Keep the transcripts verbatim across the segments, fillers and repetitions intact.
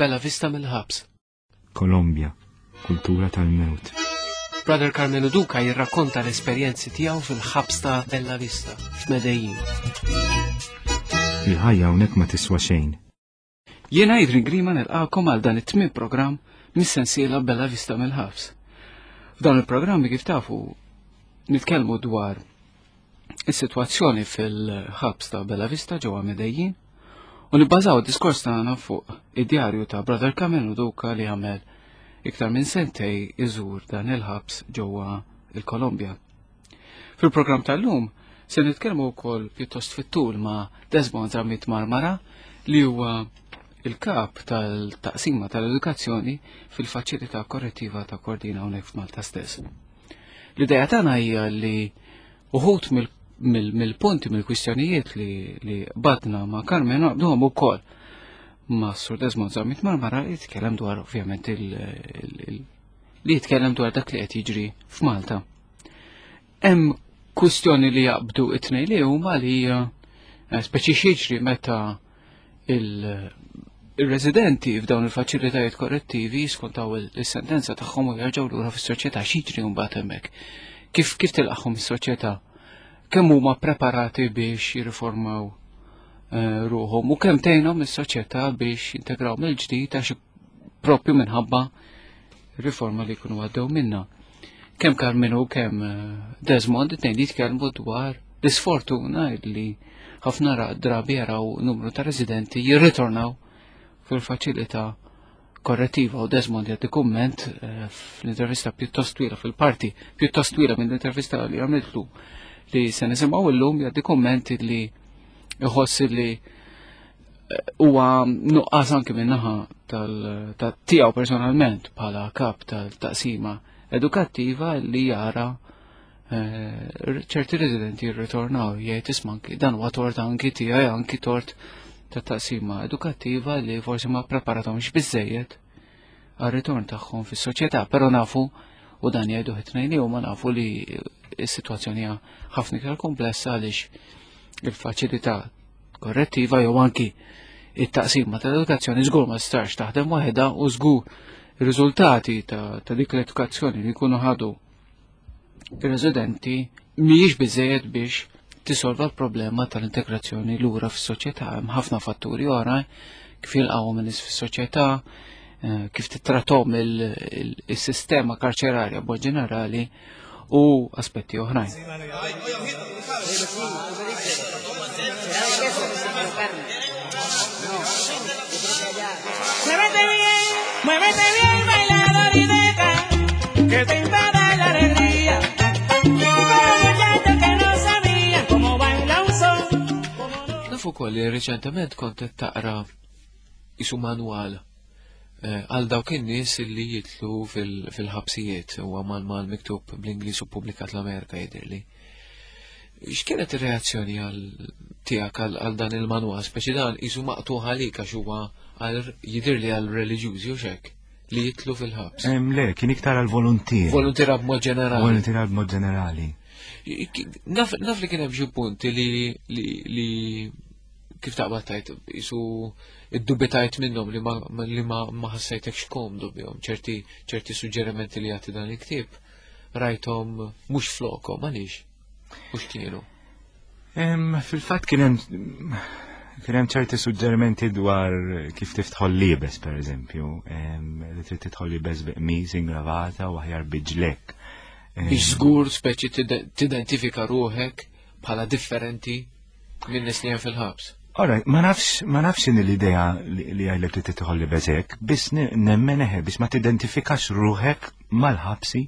Bella Vista mill-ħabs. Kolombja, kultura tal-mewt. Brother Carmenu Duca jirrakkonta l-esperjenzi tiegħu fil-ħabs ta' Bella Vista f'Medellin. Il-ħajja hawnhekk ma tiswa xejn. Jiena Adrian Grima nilqakom għal dan it-tmien programm mis-sensiela Bella Vista mill-ħabs. F'dan il-programmi kif tafu nitkellmu dwar is-sitwazzjoni fil-ħabs ta' Bella Vista ġewwa Medellin u nibbażaw id-diskors tagħna fuq id-djarju ta' Brother Carmenu Duca li għamel iktar minn sentej iżur dan il-ħabs ġewwa il-Kolombja. Fil-programm tal-lum se nitkellmu wkoll pjuttost fit-tul ma' Desmond Zammit Marmara li huwa il-kap tal-taqsima tal-edukazzjoni fil-faċilità korrettiva ta' Kordina hawnhekk f'Malta stess. L-idea tagħna hija li uħud mill-punti mill-kwistjonijiet li, li badna ma' Carmen naqduhom ukoll ma' Sur Desmond Zammit Marmara li jitkellem dwar ovvjament il, li jitkellem dwar dak li qed jiġri f'Malta. Hemm kwistjoni li jaqbdu it-tnejn li huma li hija eh, speċi x'jiġri meta il-residenti f'dawn il-faċilitajiet korrettivi jiskontaw il-sentenza tagħhom u jerġgħu lura fis-soċjetà x'jiġri mbagħad hemmhekk. Kif kif tilqahom is-soċjetà? Kemm huma preparati biex jirriformaw eh, ruħhom u kemm tgħinhom is-soċjetà biex jintegraw mill-ġdid għax propju minħabba riforma li jkunu għaddew minna. Kemm Carmenu kemm eh, Desmond it-tnejn jitkellmu dwar l-isfortuna li ħafna drabi jaraw numru ta' residenti jirritornaw fil-faċilità korrettiva u Desmond jagħti kumment eh, fl-intervista pjuttost twila fil-parti pjuttost twila minn l-intervista li għamiltlu li se nisimgħu llum jagħti kumment li jħoss li eh, huwa nuqqas anki min-naħa tal tiegħu personalment bħala kap tal-taqsima edukattiva li jara eh, ċerti residenti jirritornaw jgħid isma' anki dan huwa tort anki tiegħi anki tort ta' taqsima edukattiva li forsi ma preparatomx biżejjed għar-ritorn tagħhom fis-soċjetà, però nafu u dan jgħidu it-tnejn li huma nafu li s-sitwazzjoni hija ħafna iktar komplessa għaliex il-faċilità korrettiva jew anki it-taqsima tal-edukazzjoni żgur ma tistax taħdem waħedha u żgur ir-riżultati ta', ta dik l-edukazzjoni li jkunu ħadu ir-residenti mhijiex biżejjed biex tisolva l-problema tal-integrazzjoni lura fis-soċjetà. Hemm ħafna fatturi oħra kif jilqgħu in-nies fis-soċjetà, eh, kif tittratom il-sistema karċerarja b'mod ġenerali u aspetti oħrajn. Muévete bien, muévete bien, bailador y deja que te invada la alegría. Como muchacho que no sabía cómo baila un son. cómo no. Naf ukoll li reċentement kont qed taqra isu manwal eh, għal dawk in-nies li jitlu fil- fil-ħabsijiet huwa manwal miktub bl-Ingliż u pubblikat l-Amerika jidhirli. X'kienet ir-reazzjoni għal tiegħek għal għal dan il-manwal, speċi dan isu maqtuħ għalik għax huwa għal jidhirli għal reliġjużi u xek li jitlu fil-ħabs. Em, le, kien iktar għal volontier. Volontiera b'mod ġenerali. Volontier b'mod ġenerali. Naf, naf li kien hemm xi punti li li li kif taqbad tajt isu iddubitajt minnhom li ma li ma ma ħassejtekx komdu bihom ċerti ċerti suġġerimenti li jagħti dan il-ktieb rajthom mhux flokhom għaliex mhux kienu. Em, Fil-fatt kien hemm kien hemm ċerti suġġerimenti dwar kif tiftħol libes, per eżempju, em, li trid tidħol libes bi qmis ingravata u aħjar bi ġlek. Em, Biex żgur speċi tide- tidentifika ruħek bħala differenti minn nies li hemm fil-ħabs. Alright, ma nafx, ma nafx in l-idea li li għajlek li tidħol libes hekk, biss ne- nemmen eħe, biex ma tidentifikax ruħek mal-ħabsi,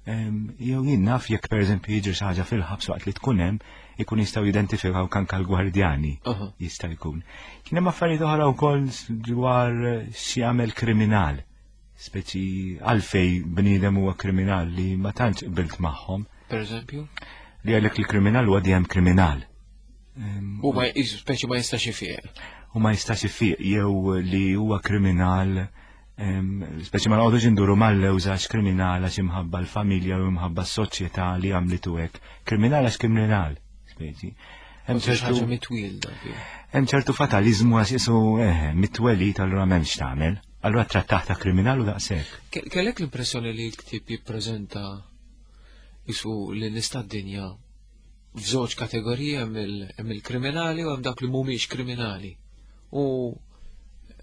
em, jew jien naf jekk per eżempju jiġri xi ħaġa fil-ħabs waqt li tkun hemm, ikun jistgħu jidentifikaw anke l-gwardjani. Aha. Jista' jkun. Kien hemm affarijiet oħra wkoll dwar xi jagħmel kriminal. Speċi għalfej bniedem huwa kriminal li ma tantx qbilt magħhom Per eżempju? li għalek li kriminal huwa dejjem kriminal. Em, U ma jisu speċi ma jistax ifiq. u ma jistax ifiq jew li huwa kriminal em, speċi ma noqogħdux induru mal-lewża għax kriminal għax imħabba l-familja u imħabba s-soċjetà li għamlitu hekk. Kriminal għax kriminal, speċi. Hemm ċertu mitwielda. Hemm ċertu fatalizmu għax isu eh, mitwelid allura m'hemmx tagħmel. Allura trattah ta' kriminal u daqshekk. Kellek l-impressjoni li l-ktieb jippreżenta isu li nista' d-dinja f'żewġ kategoriji hemm il-kriminali u hemm dak li mhumiex kriminali. U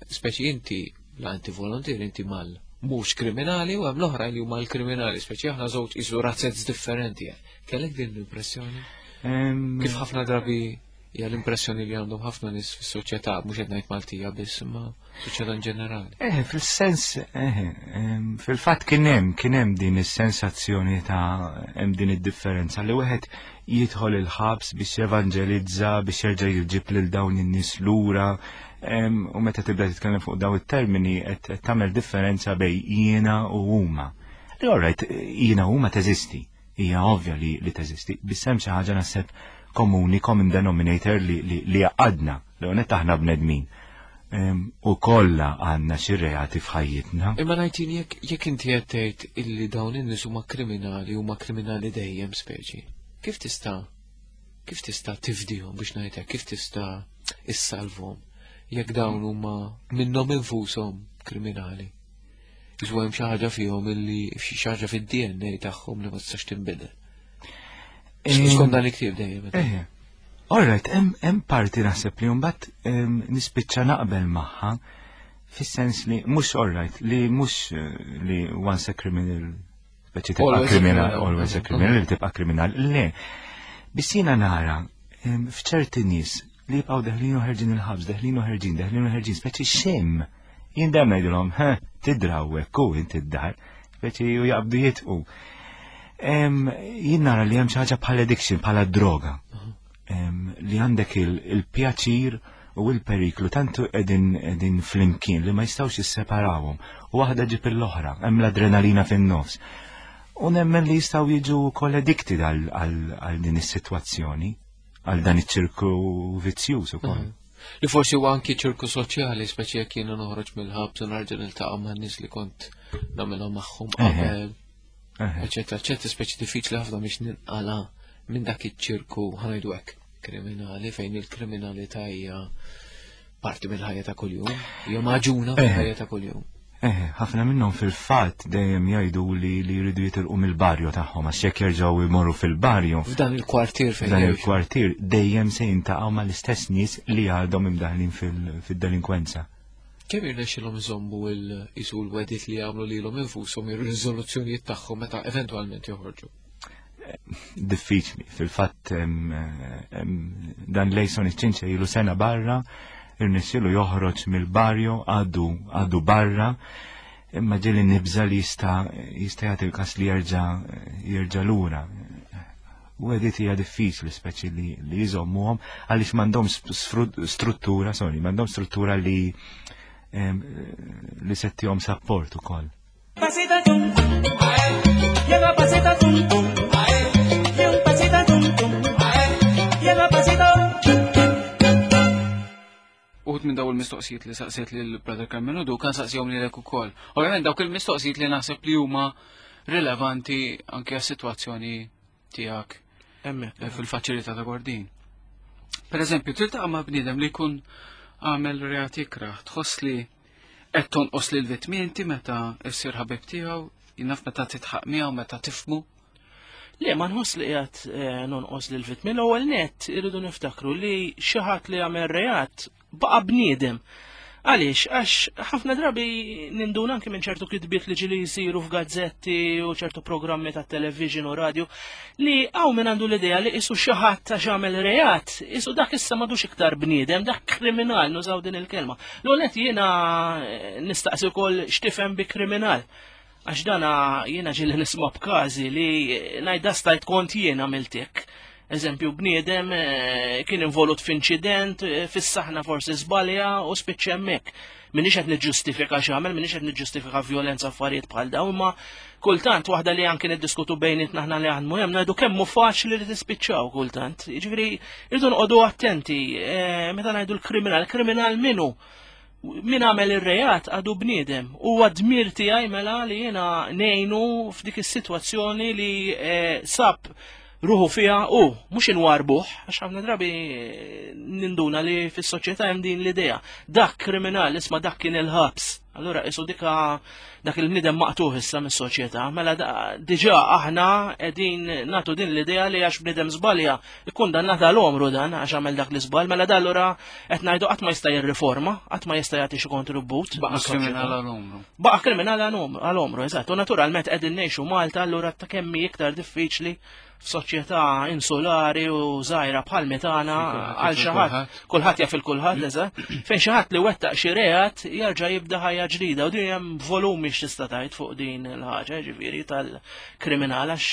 speċi inti la inti volontier inti mal mhux kriminali u hemm l-oħra li huma l-kriminali, speċi aħna żewġ isu razzez differenti. Kellek din l-impressjoni? Kif ħafna drabi hija l-impressjoni li għandhom ħafna nies fis-soċjetà, mhux qed ngħid Maltija biss, imma soċjetà in ġenerali. Eh, fil-sens, eh, fil-fatt kien hemm kien hemm din is-sensazzjoni ta' hemm din id-differenza li wieħed jidħol il-ħabs biex jevanġelizza, biex jerġa' jġib lil dawn in-nies lura, u meta tibda titkellem fuq daw it-termini qed tagħmel differenza bejn jiena u huma. Li alright, jiena huma teżisti, hija ovvja li, li teżisti, biss hemm xi ħaġa naħseb komuni, common denominator li, li, li għadna, li għonet aħna bnedmin. U kollha għandna xi reati f'ħajjitna. Imma ngħidin jekk jekk inti qed tgħid illi dawn in-nies huma kriminali huma kriminali dejjem speċi. Kif tista' kif tista' tifdihom biex ngħidlek, kif tista' issalvhom jekk dawn huma minnhom infushom kriminali? Iżu hemm xi ħaġa fihom illi xi ħaġa fid-D N A tagħhom li ma tistax tinbidel. Skont dan il-ktieb dejjem. Eh, all right, hemm parti naħseb li mbagħad nispiċċa naqbel magħha fis-sens li mhux all right, li mhux eh, li once a criminal speċi tibqa' kriminal, always a criminal, li tibqa' kriminal. Le, biss jiena nara f'ċerti nies li jibqgħu deħlin u ħerġin il-ħabs, deħlin u ħerġin, deħlin u ħerġin, speċi xem. Jien dejjem ngħidilhom, ha, tidraw hekk u inti d-dar, speċi u jaqbdu jitqu. Jien nara li hemm xi ħaġa bħal addiction, bħala droga. Li għandek il-pjaċir u il-periklu tantu qegħdin qegħdin flimkien li ma jistgħux jisseparawhom. U waħda ġib l-oħra, hemm l-adrenalina fin-nofs. U nemmen li jistgħu jiġu wkoll addicted għal din is-sitwazzjoni, għal dan iċ-ċirku vizzjuż ukoll. Li forsi huwa anki ċirku soċjali, speċi jekk jiena noħroġ mill-ħabs u nerġa' niltaqa' ma' nies li kont nagħmilhom magħhom qabel. Eċetera, eċetera, speċi diffiċli ħafna biex ninqala minn dak iċ-ċirku, ħa ngħidu hekk, kriminali fejn il-kriminalità hija parti mill-ħajja ta' kuljum, hija maġuna mill-ħajja ta' kuljum. Eh, ħafna minnhom fil-fatt dejjem jgħidu li li jridu jitilqu mill-barju tagħhom għax jekk jerġgħu jmorru fil-barju. F'dan il-kwartier fejn. F'dan il-kwartier dejjem se jintaqgħu mal-istess nies li għadhom imdaħlin fid-delinkwenza. Kemm jirnexxilhom iżommu l-isu l-wedit li jagħmlu lilhom infushom ir-riżoluzzjonijiet tagħhom meta eventwalment joħorġu? Diffiċli, fil-fatt dan Lejson iċ-ċinċa ilu sena barra, irnexxielu joħroġ mill-barju għadu għadu barra, imma ġieli nibża li jista' jista' jagħti l-każ li jerġa' jerġa' lura. U għedit hija diffiċli speċi li li jżommuhom għaliex m'għandhomx struttura, sorry, m'għandhomx struttura li li settihom support ukoll. Pasito tum, lleva pasito tum tum, y un pasito tum tum, lleva pasito. Uħud minn daw il-mistoqsijiet li saqsiet lil Brother Carmelo du kan saqsihom lilek ukoll. Ovvjament dawk il-mistoqsijiet li naħseb li huma rilevanti anke għas-sitwazzjoni tiegħek fil-faċilità ta' Kordin. Per eżempju, tiltaqa' ma' bniedem li jkun għamel reat ikrah, tħoss li qed tonqos lil vittmi inti meta issir ħabib tiegħu, jinnaf meta titħaq miegħu, meta tifmu? Le, ma nħoss li qiegħed eh, nonqos lil vittmi. L-ewwel nett irridu niftakru li xi ħadd li għamel reat baqa' bniedem. Għaliex, għax ħafna drabi ninduna anke minn ċertu kitbiet li ġili jisiru f'gazzetti u ċertu programmi ta' television u radio li għaw minn għandu l-idea li isu xi ħadd għax għamel reat, isu dak issa m'għadux iktar bniedem, dak kriminal, nużaw din il-kelma. L-għonet jiena eh, nistaqsi wkoll x'tifhem bi kriminal. Għax dana jiena ġili nisma' b'każi li ngħidha stajt kont jiena għamiltek. Eżempju, bniedem eh, kien involut f'inċident, eh, fis-saħna forsi żbalja u spiċċa hemmhekk. Minix qed niġġustifika x'għamel, minix qed niġġustifika violenza affarijiet bħal dawn, imma kultant waħda li anke niddiskutu bejnietna aħna li għandmu hemm ngħidu kemm hu faċli li tispiċċaw kultant. Jiġifieri irridu noqogħdu attenti eh, meta ngħidu l-kriminal, kriminal minu? Min għamel ir-reat għadu bniedem. Huwa dmir tiegħi mela li jiena ngħinu f'dik is-sitwazzjoni li sab ruħu fiha u mhux inwarbuh, għax ħafna drabi ninduna li fis-soċjetà hemm din l-idea. Dak kriminal, isma' dak kien il-ħabs. Allura isu dika dak il-bniedem maqtuħ issa mis-soċjetà, mela diġà aħna qegħdin nagħtu din l-idea li għax bniedem żbalja ikkundannata l-omru dan għax għamel dak l-iżball, mela da allura qed ngħidu qatt ma jista' jirriforma, qatt ma jista' jagħti xi kontribut. Baqa' kriminal għal-omru. Baqa' kriminal għal-omru, eżatt. U naturalment qegħdin ngħixu Malta, allura ta' kemm hi iktar diffiċli f'soċjetà insulari u żgħira bħal mitana għal xi ħadd, kulħadd jaf il-kulħadd, eżatt, fejn xi ħadd li wettaq xi reat jerġa' jibda ħajja ġdida, u din hemm volumi x'tista' tgħid fuq din il-ħaġa, ġifieri tal-kriminal, għax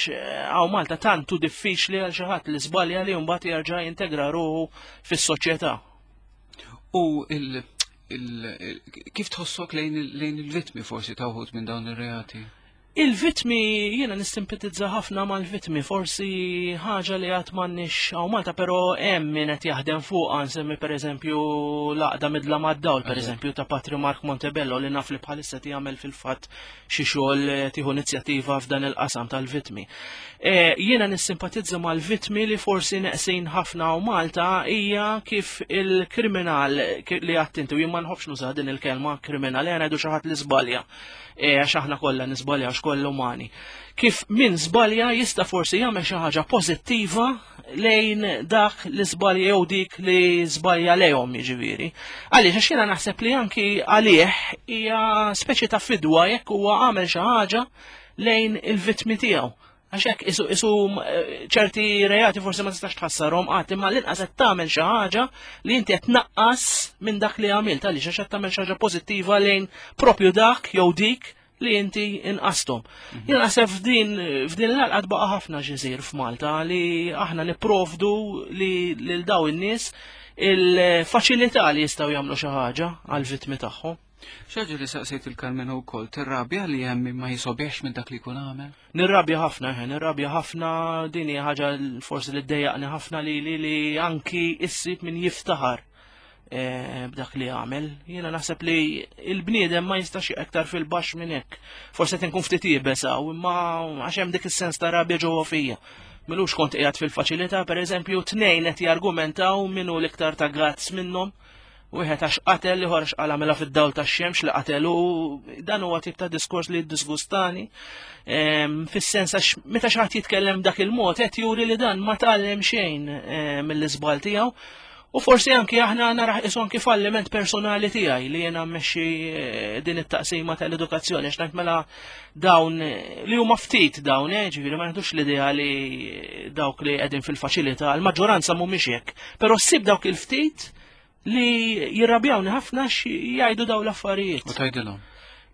hawn Malta tantu diffiċli għal xi ħadd li żbalja li mbagħad jerġa' jintegra ruħu fis-soċjetà. U il, il, kif tħossok lejn il-vittmi forsi ta' wħud minn dawn ir-reati? Il-vitmi, jiena nissimpatizza ħafna mal-vitmi, forsi ħaġa li għad m'għandniex hawn Malta, pero hemm min qed jaħdem fuq, nsemmi pereżempju l-għaqda Midla mad-Dawl, pereżempju ta' Patri Mark Montebello, li naf li bħalissa jagħmel fil-fatt xi xogħol tieħu inizjattiva f'dan il-qasam tal-vitmi. E, jiena nissimpatizza mal-vitmi li forsi neqsin ħafna hawn Malta hija kif il-kriminal li għattinti, u jien ma nħobbx nuża din il-kelma kriminal, jien ngħidu xi ħadd li żbalja. Għax aħna kollha niżbalja, għax kollha umani. Kif min żbalja jista' forsi jagħmel xi ħaġa pożittiva lejn dak li żbalja jew dik li żbalja lejhom, jiġifieri. Għaliex għax jiena naħseb li anki għalih hija speċi ta' fidwa jekk huwa għamel xi ħaġa lejn il-vittmi tiegħu. Għax hekk isu, isu ċerti reati forsi ma tistax tħassarhom qatt, imma l-inqas qed tagħmel xi ħaġa li inti qed tnaqqas minn dak li għamilt, għaliex għax qed tagħmel xi ħaġa pożittiva lejn propju dak jew dik li inti inqastom. Jien naħseb f'din f'din l-għalqa tbaqa' ħafna x'isir f'Malta li aħna nipprovdu li lil daw in-nies il-faċilità li jistgħu jagħmlu xi ħaġa għall-vittmi tagħhom. Xaġa li saqsejt il-Karmenu wkoll, tirrabja li hemm ma jisobiex minn dak li jkun għamel? Nirrabja ħafna, eh, nirrabja ħafna, din hija ħaġa forsi li ddejjaqni ħafna li li, li anki issib min jiftaħar eh, b'dak li għamel. Jiena naħseb li il-bniedem ma jistax aktar fil-baxx minn hekk. Forsi qed inkun ftit iebes hawn, imma għax hemm dik is-sens ta' rabja ġewwa fija. Milux kont qiegħed fil-faċilità, pereżempju, tnejn qed jargumentaw minnu l-iktar ta' gazz minnhom. Wieħed għax qatel, ieħor għax qala mela fid-dawl tax-xemx li qatelu, dan huwa tip ta' diskors li jiddisgustani. Ehm, fis-sens għax meta xi ħadd jitkellem dak il-mod qed juri li dan ma tgħallem xejn eh, mill-iżbal tiegħu. U forsi anki aħna naraħ isu anki falliment personali tiegħi li jiena mmexxi eh, din it-taqsima tal-edukazzjoni, għax ngħid mela dawn eh, li huma ftit dawn, eh, ġifieri ma neħdux l-idea li dawk li qegħdin fil-faċilità, l-maġġoranza mhumiex hekk, però ssib dawk il-ftit li jirrabjawni ħafna jgħidu daw l-affarijiet. U tgħidilhom?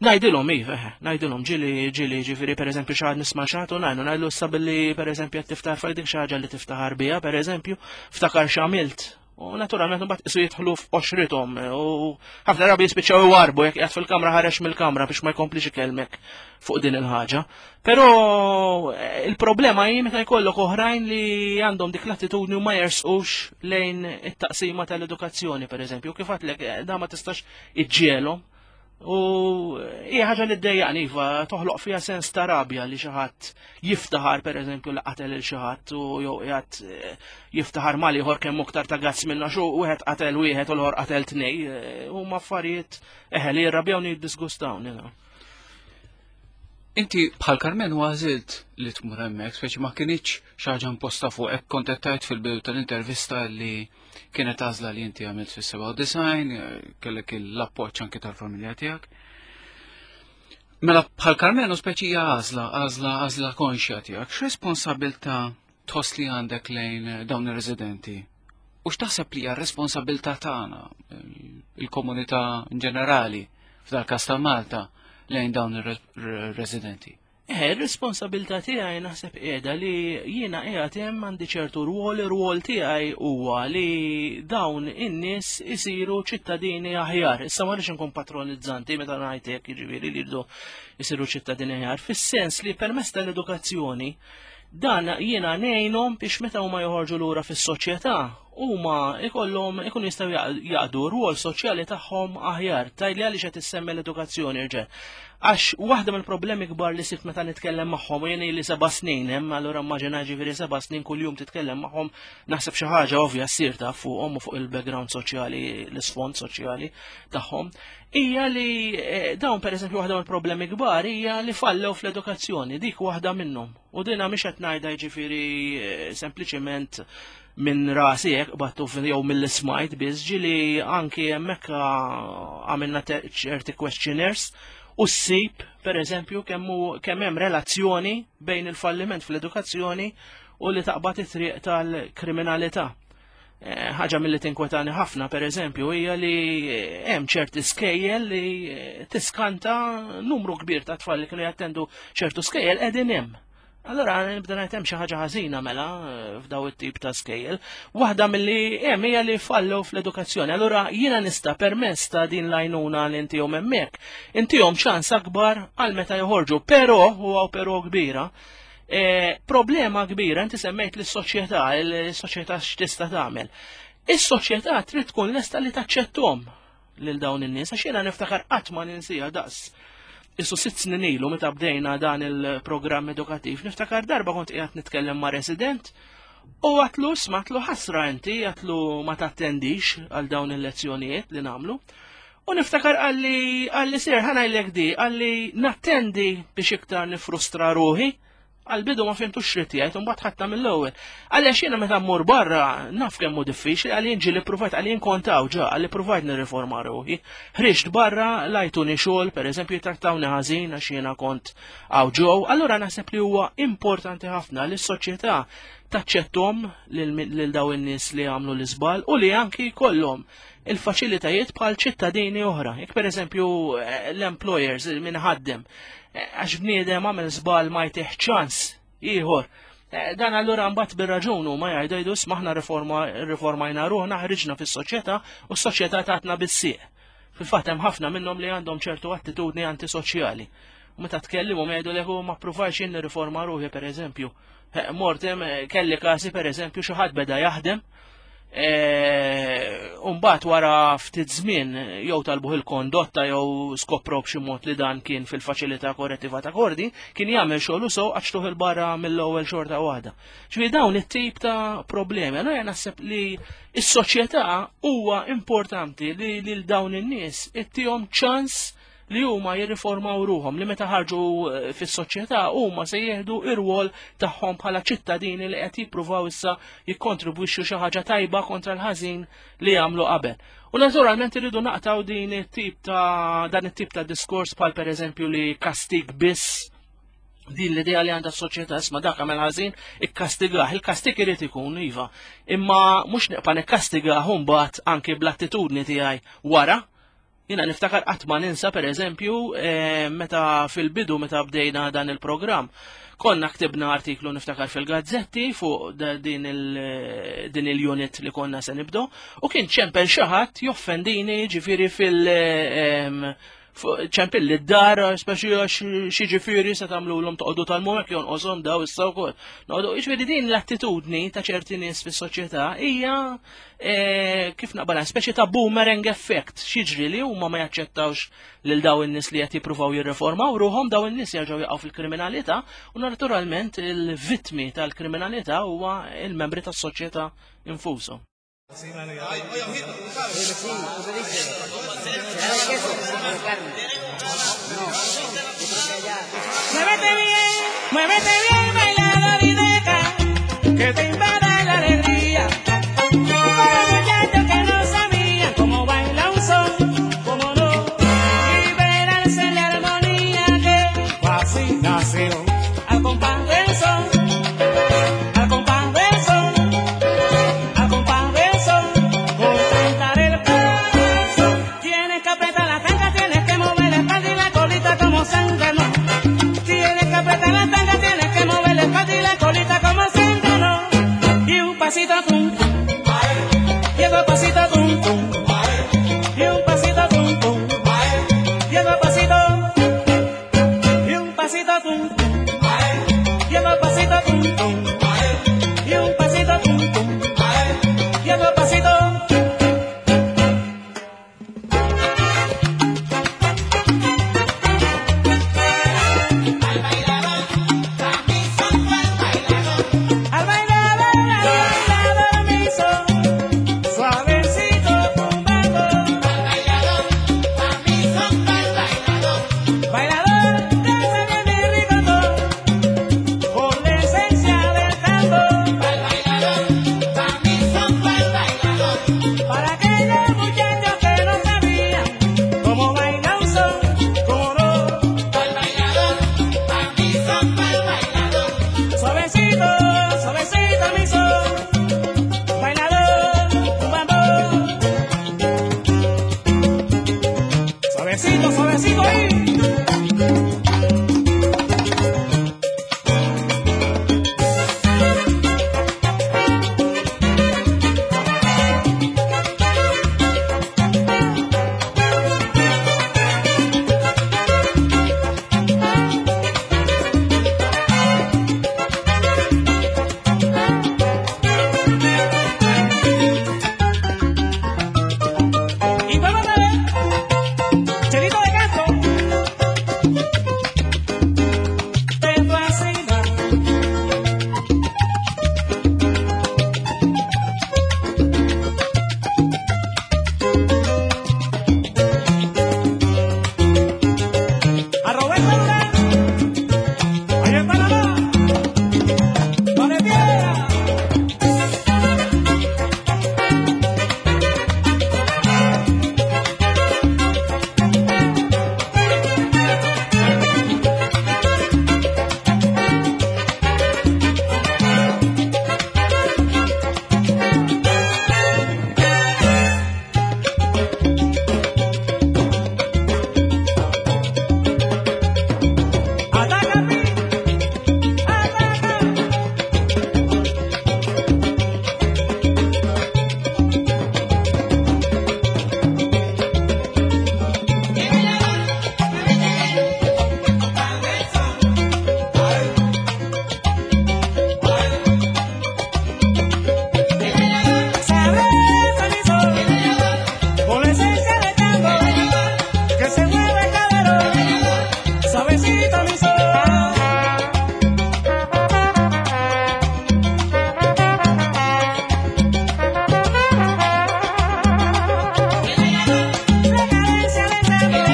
Ngħidilhom, iva, eħe, ngħidilhom, ġieli, ġieli, ġifieri, per eżempju, xi ħadd nisma' xi ħadd u ngħidu, ngħidlu issa billi, per eżempju, qed tiftaħar fuq dik xi ħaġa li tiftaħar biha, per eżempju, ftakar x'għamilt. U naturalment mbagħad isu jidħlu f'qoxrithom u ħafna drabi jispiċċaw iwarbu jekk qiegħed fil-kamra ħareġ mill-kamra biex ma jkomplix ikellmek fuq din il-ħaġa. Però eh, il-problema hi meta jkollok oħrajn li għandhom dik l-attitudni u ma jersqux lejn it-taqsima tal-edukazzjoni, per eżempju, kif għedtlek, eh, da ma tistax iġġielhom. U hija ħaġa li ddejjaqni, iva, toħloq fiha sens ta' rabja li xi ħadd jiftaħar pereżempju li qatel il xi ħadd u jew qiegħed eh, jiftaħar mal ieħor kemm aktar ta' gazz minna xu wieħed qatel wieħed u l-ieħor qatel tnej, eh, huma affarijiet eħe li jirrabjawni jiddisgustawni. No. Inti bħal Karmenu għażilt li tmur hemmhekk, speċi ma kinitx xi ħaġa imposta fuqek, kont qed tgħid fil-bidu tal-intervista li kienet għażla li inti għamilt fis-sebgħa u disgħin, kellek l-appoġġ anke tal-familja tiegħek. Mela bħal Karmenu speċi hija għażla, għażla, għażla konxja tiegħek. X'responsabilità tħoss li għandek lejn dawn ir-residenti? U x'taħseb li hija r-responsabilità tagħna, il-komunità in ġenerali, f'dal-każ ta' Malta, lejn dawn ir-residenti? Eh, ir-responsabilità tiegħi naħseb qiegħda li jiena qiegħed hemm għandi ċertu rwol, ir-rwol tiegħi huwa li dawn in-nies isiru ċittadini aħjar. Issa ma rridx inkun patronizzanti meta ngħid hekk, jiġifieri li jridu jsiru ċittadini aħjar, fis-sens li permezz tal-edukazzjoni dan jiena ngħinhom biex meta huma joħorġu lura fis-soċjetà huma ikollhom ikun jistgħu jaqdu rwol soċjali tagħhom aħjar. Tgħidli għaliex qed issemmi l-edukazzjoni rġel. Għax waħda mill-problemi kbar li sibt meta nitkellem magħhom, u jien li seba' snin hemm, allura immaġina ġifieri seba' snin kuljum titkellem magħhom, naħseb xi ħaġa ovvja ssir taf fuqhom u fuq il-background soċjali, l-isfond soċjali tagħhom, hija li dawn pereżempju waħda mill-problemi kbar hija li fallew fl-edukazzjoni, dik waħda minnhom. U dinha mhix qed ngħidha jiġifieri sempliċement minn rasi hekk battu jew mill-smajt biss, ġieli anki hemmhekk għamilna ċerti questionnaires u ssib pereżempju kemm hemm relazzjoni bejn il-falliment fl-edukazzjoni u li taqbad it-triq tal-kriminalità. Ħaġa milli tinkwetani ħafna pereżempju hija li hemm ċerti skejjel li tiskanta numru kbir ta' tfal li kienu jattendu ċertu skejjel qegħdin hemm. Allora nibda ngħid hemm xi ħaġa ħażina mela f'daw it-tip ta' skejjel. Waħda milli hemm hija li fallew fl-edukazzjoni. Allura jiena nista' permess ta' din l-għajnuna li intihom hemmhekk, intihom ċans akbar għal meta joħorġu, però huwa però kbira. Problema kbira, inti semmejt lis-soċjetà, il-soċjetà x'tista' tagħmel. Is-soċjetà trid tkun lesta li taċċetthom lil dawn in-nies, għax jiena niftakar qatt ma ninsiha daqs. Issu sitt snin ilu meta bdejna dan il-programm edukattiv, niftakar darba kont qiegħed nitkellem ma' resident u għatlu smatlu ħasra inti, għatlu ma tattendix għal dawn il-lezzjonijiet li nagħmlu. U niftakar għalli għalli sir ħanajlek di, għalli nattendi biex iktar nifrustra ruħi, għal-bidu ma fimtux xrid jgħid, u mbagħad ħadta mill-ewwel. Għaliex jiena meta mmur barra naf kemm hu diffiċli, għalli ġi li provajt, għalli nkontaw ġa, għalli provajt nirriforma ruħi. Ħriġt barra, lajtuni xogħol, pereżempju jitrattawni ħażin għax jiena kont hawn ġew. Allura naħseb li huwa importanti ħafna li s-soċjetà taċċettom lil daw in-nies li għamlu l-iżball u li anki jkollhom il-faċilitajiet bħal ċittadini oħra. Jekk pereżempju l-employers min ħaddem, għax bniedem għamel żball ma jtih ċans ieħor. Dan allura mbagħad bir-raġun huma jgħidu jgħidu isma' riformajna ruħna, ħriġna fis-soċjetà u s-soċjetà tatna bis-sieq. Fil-fatt hemm ħafna minnhom li għandhom ċertu attitudni antisoċjali. U meta tkellimhom jgħidu li ma ppruvajx jien nirriforma ruħi pereżempju. Mortem kelli każi pereżempju xi ħadd beda jaħdem, u mbagħad wara ftit żmien jew talbuh il-kondotta jew skoprow b'xi mod li dan kien fil-faċilità korrettiva ta' Kordi, kien jagħmel xogħol sew għax il barra mill-ewwel xorta waħda. Ġifieri dawn it-tip ta' problemi. Allura naħseb li s-soċjetà huwa importanti li lil dawn in-nies ittihom ċans li huma jirriformaw ruhom, li meta ħarġu fis-soċjetà huma se jieħdu ir-rwol tagħhom bħala ċittadini li qed jippruvaw issa jikkontribwixxu xi ħaġa tajba kontra l-ħażin li jagħmlu qabel. U naturalment irridu naqtaw din it-tip ta' dan it-tip ta' diskors bħal pereżempju li kastig biss, din l-idea li għandha s-soċjetà isma' dak għamel ħażin ikkastigah, il-kastig irid ikun iva, imma mhux neqpa' nikkastigah mbagħad anke bl-attitudni tiegħi wara. Jiena niftakar qatt ma ninsa pereżempju meta fil-bidu meta bdejna dan il-programm, konna ktibna artiklu niftakar fil-gazzetti fuq din il-unit li konna se nibdu, u kien ċempel xi ħadd joffendini ġifieri fil- ċempil li d-dar, speċi għax xi ġifieri se tagħmluhom toqgħodu tal-mumek jonqoshom daw issa wkoll. Noqogħdu, jiġifieri din l-attitudni ta' ċerti nies fis-soċjetà hija kif naqbala speċi ta' boomerang effect, xiġri li huma ma jaċċettawx lil daw in-nies li qed jippruvaw jirriformaw ruhom, daw in-nies jerġgħu jaqgħu fil-kriminalità u naturalment il-vittmi tal-kriminalità huwa il-membri tas-soċjetà infushom. Muévete bien, muévete bien, bailador y deja que te invada la alegría. Para muchachos que no sabían cómo baila un son, cómo no, liberarse en la armonía que fascinación al compás del son, al compás del son, al compás del son, con cantar el paso. Tienes que apretar la tanga, tienes que mover la espalda y la colita como San Germán. Tienes que apretar la tanga, tienes que mover Chelito ahí. Y vuelvo otra vez, Chelito de Castro. Te fascina. A Roberto Durán, allá en Panamá, ¡Vale piedra! ¡Ataca, Pi! ¡Ataca! Sabroso mi sol, con la esencia de tango, que se mueve el caderón, suavecito mi sol. La cadencia del tango,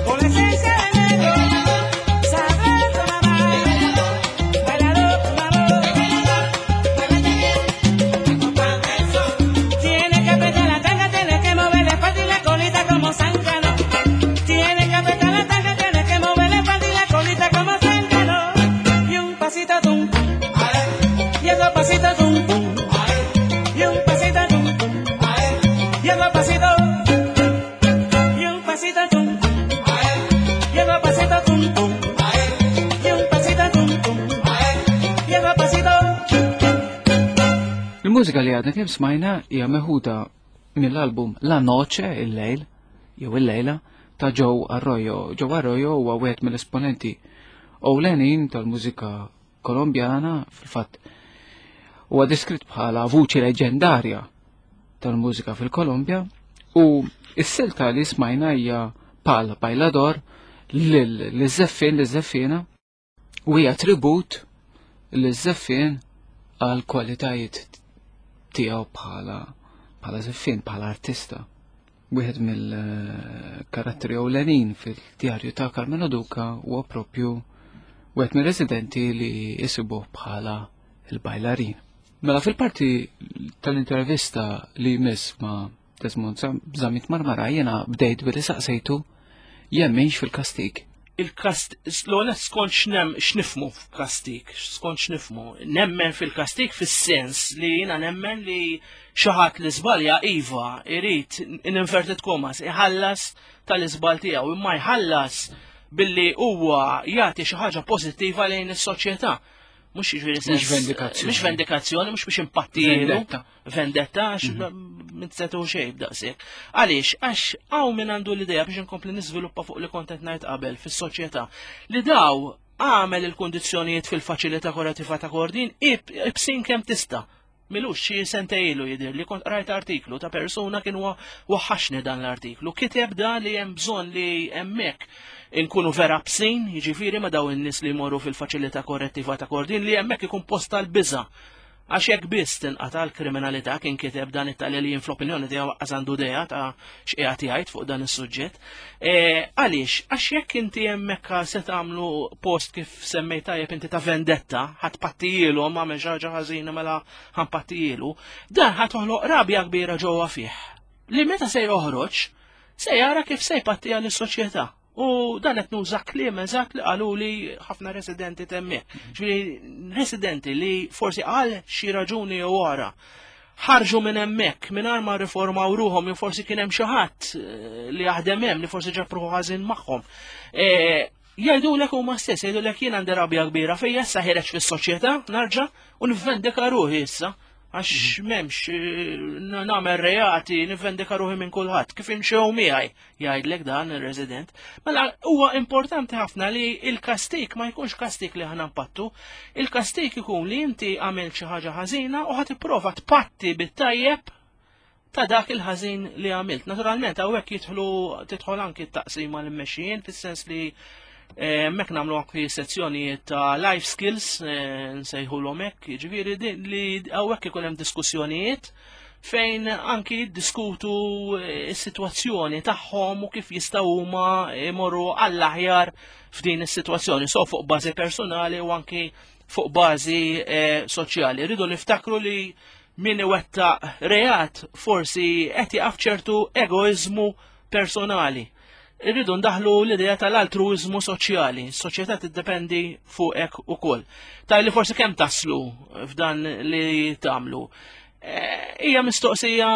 con la esencia del negro, sabroso mamá, bailador, mamá. Tienes que apretar la tanga, tienes que mover la espalda y la colita como zángano. Tienes que apretar la tanga, tienes que mover la espalda y la colita como zángano. Y un pasito tum, y otro pasito tum, tum. Y un pasito tum, tum. Y otro pasito, y un pasito tum, y otro pasito tum, tum. Y un pasito tum, tum. Y otro pasito. Il-mużika li għadna kemm smajna hija meħuda mill-album La Noche, il-lejl, jew il-lejla, ta' Joe Arroyo. Joe Arroyo huwa wieħed mill-esponenti ewlenin tal-mużika kolombjana, fil-fatt huwa deskritt bħala vuċi leġendarja tal-mużika fil-Kolombja, u s-silta li smajna hija Pal Bailador lil-żeffien lil-żeffiena u hija tribut lil-żeffien għal kwalitajiet tiegħu bħala bħala żeffien, bħala artista. Wieħed mill-karatteri ewlenin fil-djarju ta' Karmenu Duca huwa propju wieħed mir-residenti li jisibuh bħala il-bajlarin. Mela fil-parti tal-intervista li jmiss ma' Desmond Zammit Marmara jiena bdejt billi saqsejtu jemminx fil-kastig. Il-kast, l-għonet skont x'nem, x'nifmu f'kastik, skont x'nifmu. Nemmen fil-kastik fis-sens li jiena nemmen li xi ħadd li żbalja iva irid in inverted commas iħallas tal-iżbal tiegħu, imma jħallas billi huwa jagħti xi ħaġa pożittiva lejn is-soċjetà. Mhux jiġifieri sens. Mhux vendikazzjoni. Mhux vendikazzjoni, mhux biex impattilu. Vendetta. Vendetta, għax minn setu xejn b'daqshekk. Għaliex, għax hawn min għandu l-idea biex inkompli niżviluppa fuq li kont qed ngħid qabel fis-soċjetà li daw għamel il-kundizzjonijiet fil-faċilità korrettiva ta' Kordin ibsin kemm tista'. Milux xi sentejlu jidher li kont qrajt artiklu ta' persuna kien wa- waħħaxni dan l-artiklu. Kiteb da li hemm bżonn li hemmhekk inkunu vera bsin, jiġifieri ma daw in-nies li jmorru fil-faċilità korrettiva ta' Kordin li hemmhekk ikun post tal-biża'. Għax jekk biss tinqata' l-kriminalità kien kiteb dan it-tali li jien fl-opinjoni tiegħu waqqas għandu idea ta' x'qiegħed jgħid fuq dan is-suġġett. E, Għaliex, għax jekk inti hemmhekk se tagħmlu post kif semmejt tajjeb inti ta' vendetta, ħadd pattijielu għamel xi ħaġa ħażina mela ħanpattijielu, dan ħa toħloq rabja kbira ġewwa fih. Li meta se joħroġ, se jara kif se jpattija lis-soċjetà. U dan qed nuża kliem eżatt li qalu li ħafna residenti temmi. Ġifieri residenti li forsi għal xi raġuni jew wara ħarġu minn hemmhekk mingħajr ma riformaw ruhom, jew forsi kien hemm xi ħadd eh, li jaħdem hemm li forsi ġab ruħu ħażin magħhom. Eh, jgħidulek huma stess, jgħidulek jien għandi rabja kbira fejn issa ħireġ fis-soċjetà narġa' u nivvendika ruħi issa għax m'hemmx eh, nagħmel reati, nivvendika ruħi minn kulħadd. Kif imxew miegħi, jgħidlek dan ir-resident. Mela huwa importanti ħafna li il-kastik ma jkunx kastik li ħana npattu, il-kastik ikun li inti għamilt xi ħaġa ħażina u ħadd tipprova tpatti bit-tajjeb ta' dak il-ħażin li għamilt. Naturalment hawnhekk jidħlu tidħol anki t-taqsima l-mmexxijin fis-sens li hemmhekk nagħmlu anki sezzjonijiet ta' life skills, eh, nsejħulhom hekk, jiġifieri din li hawnhekk ikun hemm diskussjonijiet fejn anki jiddiskutu eh, is-sitwazzjoni tagħhom u kif jistgħu huma jmorru għall-aħjar f'din is-sitwazzjoni, so fuq bażi personali u anki fuq bażi eh, soċjali. Rridu niftakru li min iwettaq reat forsi qed jaqaf ċertu egoizmu personali. Irridu ndaħlu l-idea tal-altruizmu soċjali. Soċjetà tiddependi fuqek ukoll. Ta' li forsi kemm taslu f'dan li tagħmlu. Eh, Hija mistoqsija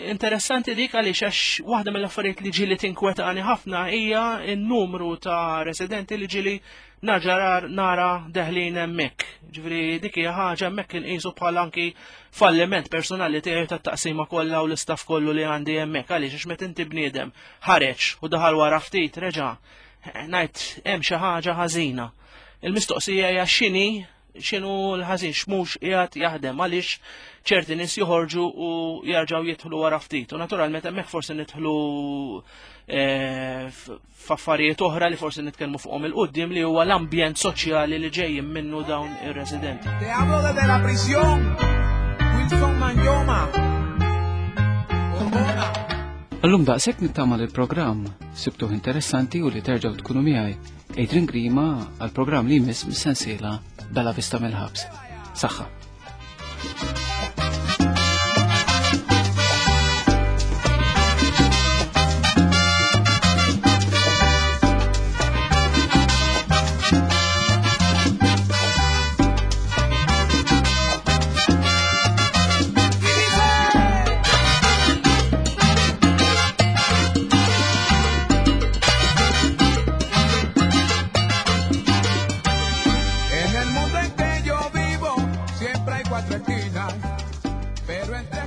interessanti dik għaliex għax waħda mill-affarijiet li ġieli tinkwetani ħafna hija n-numru ta' residenti li ġieli naġarar nara deħlin hemmhekk. Ġifieri dik hija ħaġa hemmhekk inqisu bħala anki falliment personali tiegħi tat-taqsima kollha u l-istaff kollu li għandi hemmhekk għaliex għax meta inti bniedem ħareġ u daħal wara ftit reġa' ngħid hemm xi ħaġa ħażina. Il-mistoqsija hija x'inhi x'inhu l-ħażin x'mhux qiegħed jaħdem għaliex ċerti nies joħorġu u jarġgħu jidħlu wara ftit. U naturalment hemmhekk forsi nidħlu eh, f- f'affarijiet oħra li forsi nitkellmu fuqhom il-qudiem li huwa l-ambjent soċjali li ġejjin minnu dawn ir-residenti. Te hablo desde la prisión, Wilson Manyoma. Orgona. Allum daqshekk nittama li l-programm sibtuh interessanti u li terġgħu tkunu miegħi. Adrian Grima għal-programm li jmiss mis-sensiela Bella Vista mill-ħabs. Saħħa. En el mundo en que yo vivo, siempre hay cuatro esquinas, pero entre